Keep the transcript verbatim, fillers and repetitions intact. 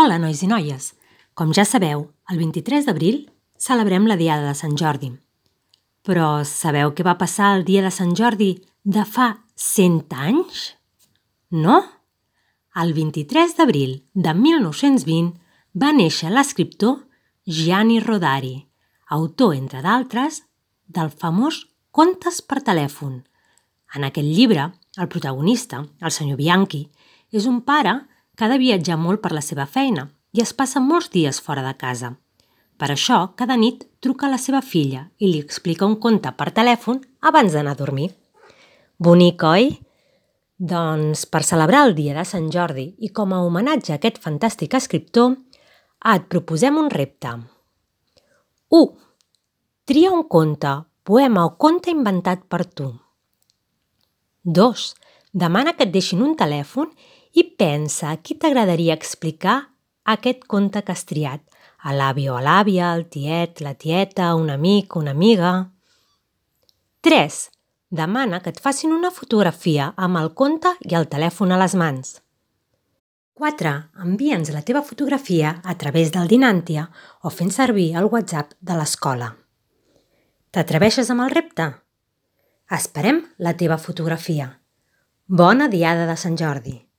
Hola, nois i noies! Com ja sabeu, el vint-i-tres d'abril celebrem la Diada de Sant Jordi. Però sabeu què va passar el dia de Sant Jordi de fa cent anys? No? El vint-i-tres d'abril de mil nou-cents vint va néixer l'escriptor Gianni Rodari, autor, entre d'altres, del famós Contes per telèfon. En aquest llibre, el protagonista, el senyor Bianchi, és un pare que ha de viatjar molt per la seva feina i es passa molts dies fora de casa. Per això, cada nit truca a la seva filla i li explica un conte per telèfon abans d'anar a dormir. Bonic, oi? Doncs, per celebrar el dia de Sant Jordi i com a homenatge a aquest fantàstic escriptor, et proposem un repte. u. Tria un conte, poema o conte inventat per tu. dos. Demana que et deixin un telèfon i pensa a qui t'agradaria explicar aquest conte que has triat. A l'avi o a l'àvia, al tiet, la tieta, un amic, una amiga. tres. Demana que et facin una fotografia amb el conte i el telèfon a les mans. quatre. Envia'ns la teva fotografia a través del Dinantia o fent servir el WhatsApp de l'escola. T'atreveixes amb el repte? Esperem la teva fotografia. Bona Diada de Sant Jordi!